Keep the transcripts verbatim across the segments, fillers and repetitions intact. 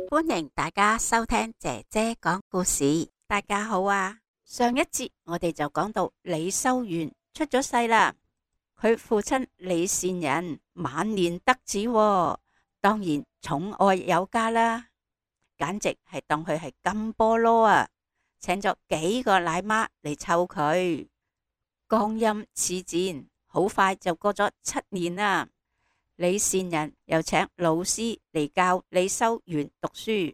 歡迎大家收聽姐姐講故事。大家好啊！上一節我哋就講到李修緣出咗世啦，佢父親李善人晚年得子喎，當然寵愛有加啦，簡直係當佢係金菠蘿啊！請咗幾個奶媽嚟湊佢。光陰似箭，好快就過咗七年啦。李善人又請老師嚟教李修緣讀書。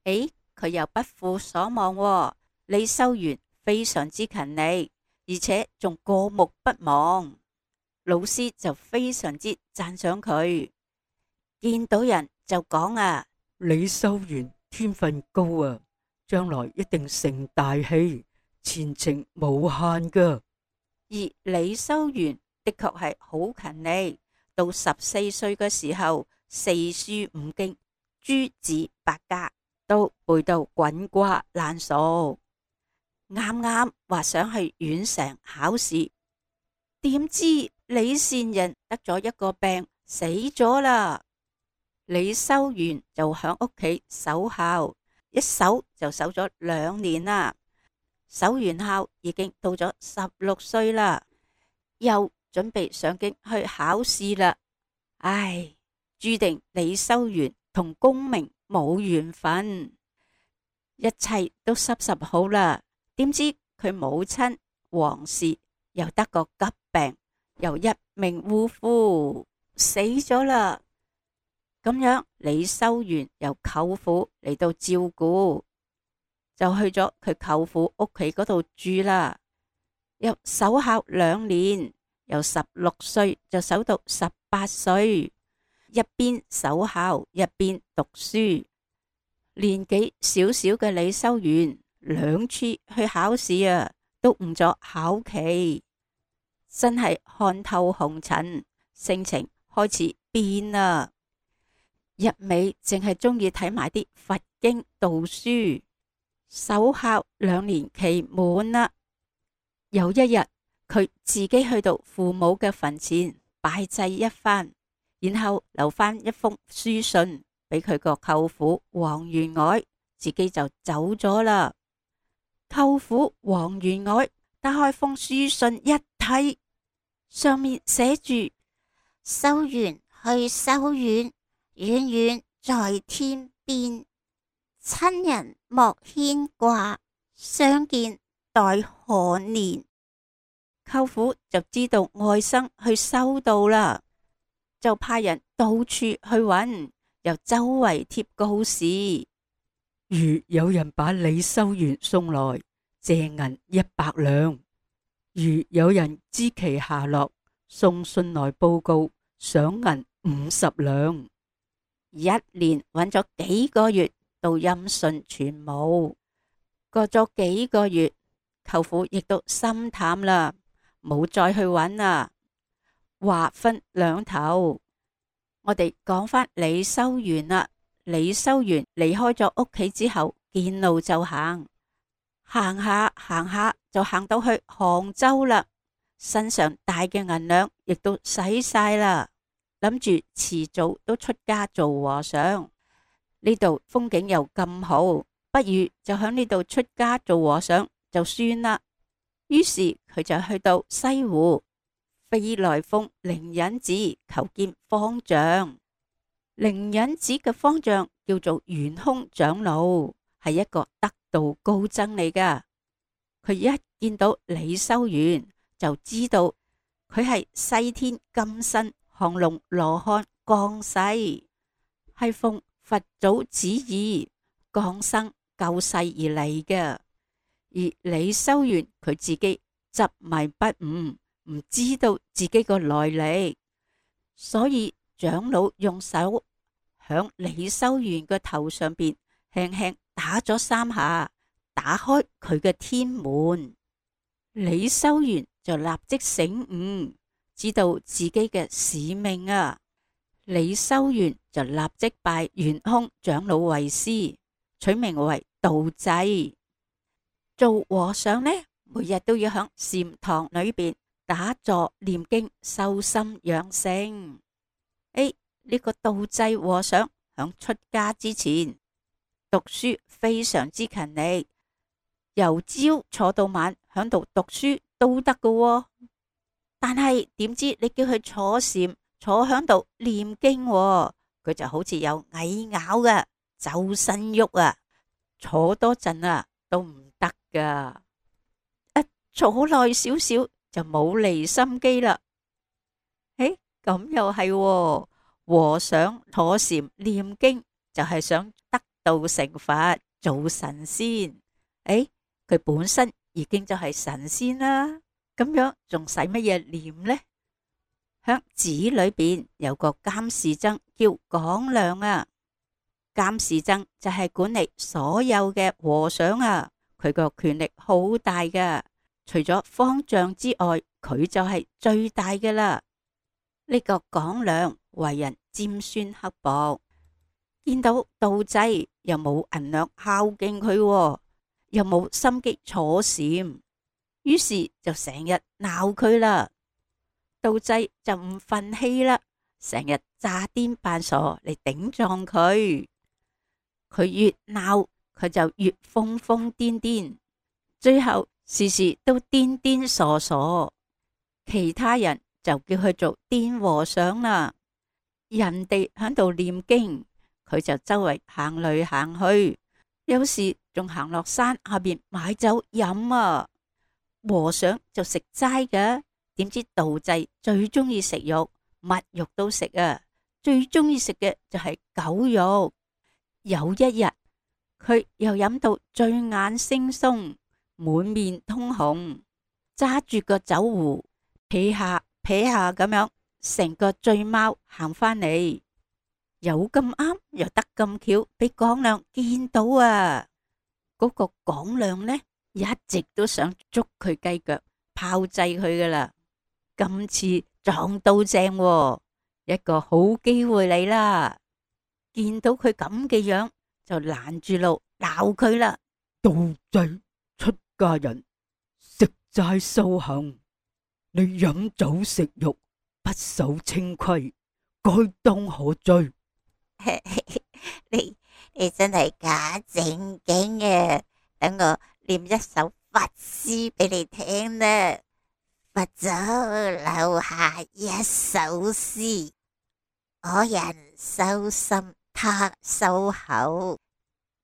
誒，佢又不負所望喎，李修緣非常之勤力，而且仲過目不忘。老師就非常之讚賞佢，見到人就講啊，李修緣天分高啊，將來一定成大器，前程無限噶。而李修緣的確係好勤力，到十四歲嘅時候，四書五經、諸子百家都背到滾瓜爛熟。啱啱話想去縣城考試，點知李善人得咗一個病，死咗啦。李修緣就響屋企守孝，一守就守咗兩年啦。守完孝已經到咗十六歲啦，又準備上京去考試啦。唉，注定李修緣同功名冇緣分，一切都濕濕好啦。點知佢母親王氏又得個急病，又一命嗚呼死咗啦。咁樣李修緣由舅父嚟到照顧，就去咗佢舅父屋企嗰度住啦。又守孝兩年，由十六歲就守到十八歲，一邊守孝一邊讀書。年紀小小嘅李修緣兩次去考試啊，都誤咗考期，真係看透紅塵，性情開始變啦。一味淨係中意睇埋啲佛經道書。守孝兩年期滿啦，有一日佢自己去到父母嘅墳前拜祭一番，然後留翻一封書信俾佢個舅父王員外，自己就走咗啦。舅父王員外打開封書信一睇，上面寫住：修緣去修遠，遠遠在天邊。親人莫牽掛，相見待何年？舅父就知道外甥去修道啦，就派人到處去揾，又周圍貼告示。如有人把李修緣送來，借銀一百兩；如有人知其下落，送信來報告，賞銀五十兩。一連揾咗幾個月，到音訊全無。過咗幾個月，舅父亦都心淡啦，冇再去揾啦。話分兩頭，我哋講返李修緣啦。李修緣離開咗屋企之後，見路就行，行下行下就行到去杭州啦。身上帶嘅銀兩亦都使晒啦，諗住遲早都出家做和尚。呢度風景又咁好，不如就響呢度出家做和尚就算啦。於是佢就去到西湖，飛來峰靈隱寺求見方丈。靈隱寺嘅方丈叫做圓空長老，係一個得道高僧嚟噶。佢一見到李修緣，就知道佢係西天金身降龍羅漢降世，係奉佛祖旨意降生救世而嚟嘅。而李修緣佢自己執迷不悟，唔知道自己個來歷，所以長老用手響李修緣嘅頭上邊輕輕打咗三下，打開佢嘅天門。李修緣就立即醒悟，知道自己嘅使命啊！李修緣就立即拜圓空長老為師，取名為道濟。做和尚呢，每日都要響禪堂裏邊打坐念經，修心養性。誒，呢個道濟和尚響出家之前讀書非常之勤力，由朝坐到晚響度讀書都得㗎喎。但係點知你叫佢坐禪，坐響度念經喎，佢就好似有蟻咬嘅，周身喐啊，坐多陣啊都唔得噶。一坐耐少少就冇離心機啦。誒，咁又係喎，和尚坐禪念經就係想得道成佛，做神仙。誒，佢本身已經就係神仙啦，咁樣仲使乜嘢念呢？響寺裏邊有個監事僧叫廣亮啊，監事僧就係管理所有嘅和尚啊，佢個權力好大噶，除咗方丈之外，佢就係最大嘅啦。呢個廣亮為人尖酸刻薄，見到道濟又冇銀兩孝敬佢，又冇心機坐禪，於是就成日鬧佢啦。道濟就唔忿氣啦，成日詐癲扮傻嚟頂撞佢。佢越鬧佢就越瘋瘋癲癲，最後時時都癲癲傻傻。其他人就叫佢做癲和尚啦。人哋喺度念經，佢就周圍行嚟行去，有時仲行落山下邊買酒飲啊。和尚就食齋嘅，點知道濟最中意食肉，乜肉都食啊，最中意食嘅就係狗肉。有一日，佢又飲到醉眼惺忪，滿面通紅，揸住個酒壺，撇下撇下咁樣，成個醉貓行返嚟。有咁啱，又得咁巧，俾廣亮見到啊！嗰個廣亮呢，一直都想捉佢雞腳，炮製佢噶啦。今次撞到正喎，一個好機會嚟啦！見到佢咁嘅樣，就攔住路鬧佢啦。道濟出家人食齋修行，你飲酒食肉不守清規，該當何罪？你你真係假正經嘅，等我念一首佛詩俾你聽啦。佛祖留下一首詩：我人修心，他修口；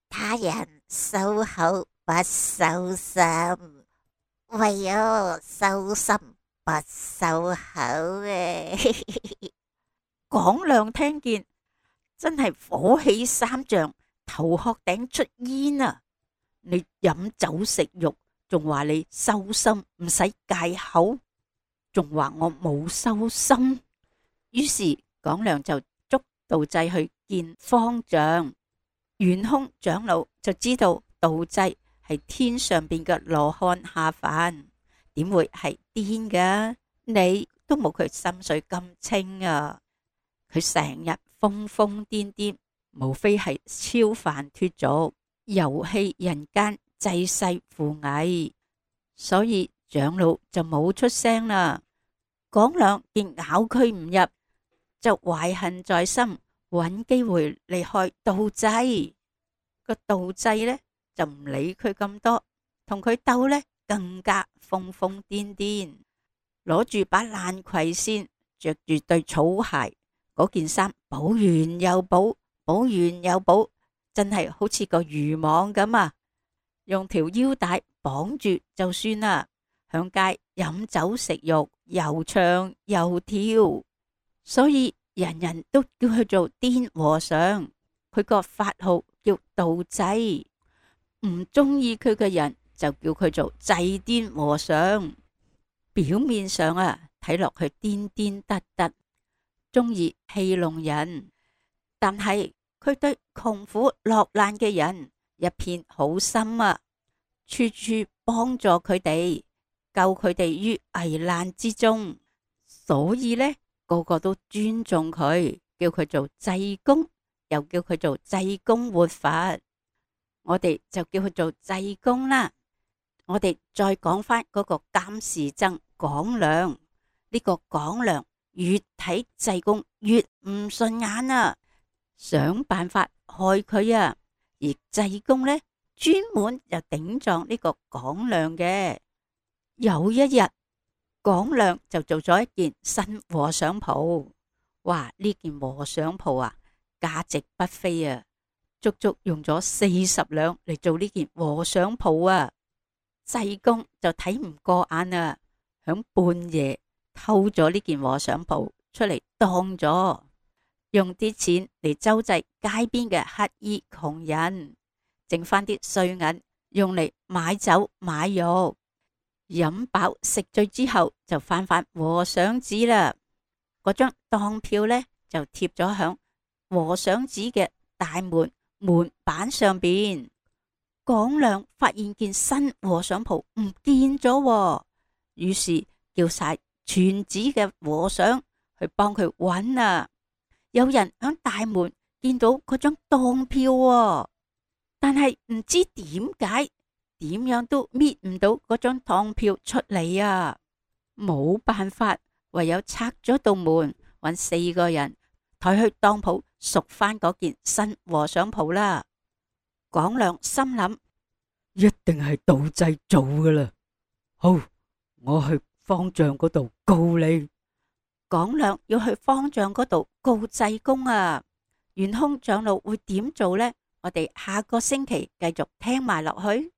他人修口，不修心。唯我修心，不修口嘅。廣亮聽見真係火氣三丈，頭殼頂出煙啊！你飲酒食肉，仲話你修心唔使戒口，仲話我冇修心。於是廣亮就捉道濟去見方丈。圓空長老就知道道濟係天上邊嘅羅漢下凡，點會係癲㗎？你都冇佢心水咁清啊！佢成日瘋瘋癲癲，無非係超凡脫俗，遊戲人間，濟世扶危。所以長老就冇出聲啦。廣亮見咬佢唔入，就懷恨在心，揾機會嚟害道濟。個道濟呢就唔理佢咁多，同佢鬥呢更加瘋瘋癲癲，攞住把爛葵扇，着住對草鞋，嗰件衫補完又補，補完又補，真係好似個漁網咁啊！用條腰帶綁住就算啦，響街飲酒食肉，又唱又跳，所以人人都叫佢做癲和尚。佢個法號叫道濟，唔中意佢嘅人就叫佢做濟癲和尚。表面上啊，睇落去癲癲得得，中意戲弄人，但係佢對窮苦落難嘅人一片好心啊，處處幫助佢哋，救佢哋於危難之中，所以呢，個個都尊重佢，叫佢做濟公，又叫佢做濟公活佛。我哋就叫佢做濟公啦。我哋再講翻嗰個監事僧廣良。呢個廣良越睇濟公越唔順眼啊，想辦法害佢啊。而濟公呢，專門就頂撞呢個廣良嘅。有一日，廣良就做咗一件新和尚袍。哇！呢件和尚袍啊，價值不菲啊，足足用咗四十兩嚟做呢件和尚袍啊。濟公就睇唔過眼啊，響半夜偷咗呢件和尚袍出嚟當咗，用啲錢嚟周濟街邊嘅乞兒窮人，剩翻啲碎銀用嚟買酒買肉，飲飽食醉之後就翻返和尚寺啦。嗰張當票呢，就貼咗響和尚寺嘅大門門板上邊。廣良發現件新和尚袍唔見咗，於是叫晒全寺嘅和尚去幫佢揾啊。有人響大門見到嗰張當票，但係唔知點解點樣都搣唔到嗰張當票出嚟啊！冇辦法，唯有拆咗道門，揾四個人抬去當鋪贖翻嗰件新和尚袍啦。廣良心諗，一定係盜製做噶啦。好，我去方丈嗰度告你。廣良要去方丈嗰度告濟公啊。玄空長老會點做呢？我哋下個星期繼續聽埋落去。